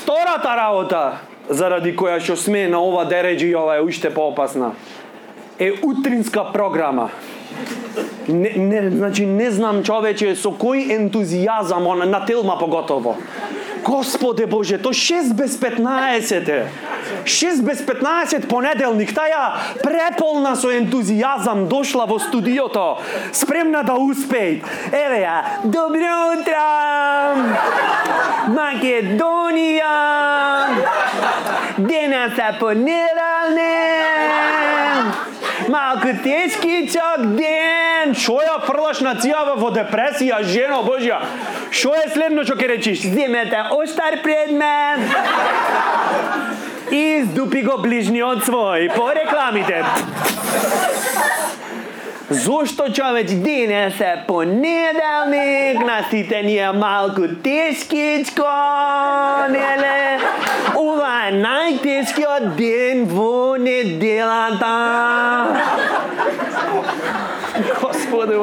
Втората работа, заради која што сме на ова дереџи и ова е уште поопасна, е утринска програма. Значи, не знам, човече, со кој ентузијазам, на Телма поготово. Господе Боже, то 6 без 15 е. 6 без 15 понеделник, таја преполна со ентузијазам дошла во студиото, спремна да успее. Еве ја, добро утро! Македонија! Денес е понеделник! Малку тешкичок ден! Шо ја фрлаш на цијава во депресија, жено Божја? Шо е следно што ќе речиш? Земете оштар предмет! И издупи го ближниот свој по рекламите. Зошто, човеч, денес е понеделник, на сите ни е малку тешкичко, неле? Ова е најтешкиот ден во неделата. Господе,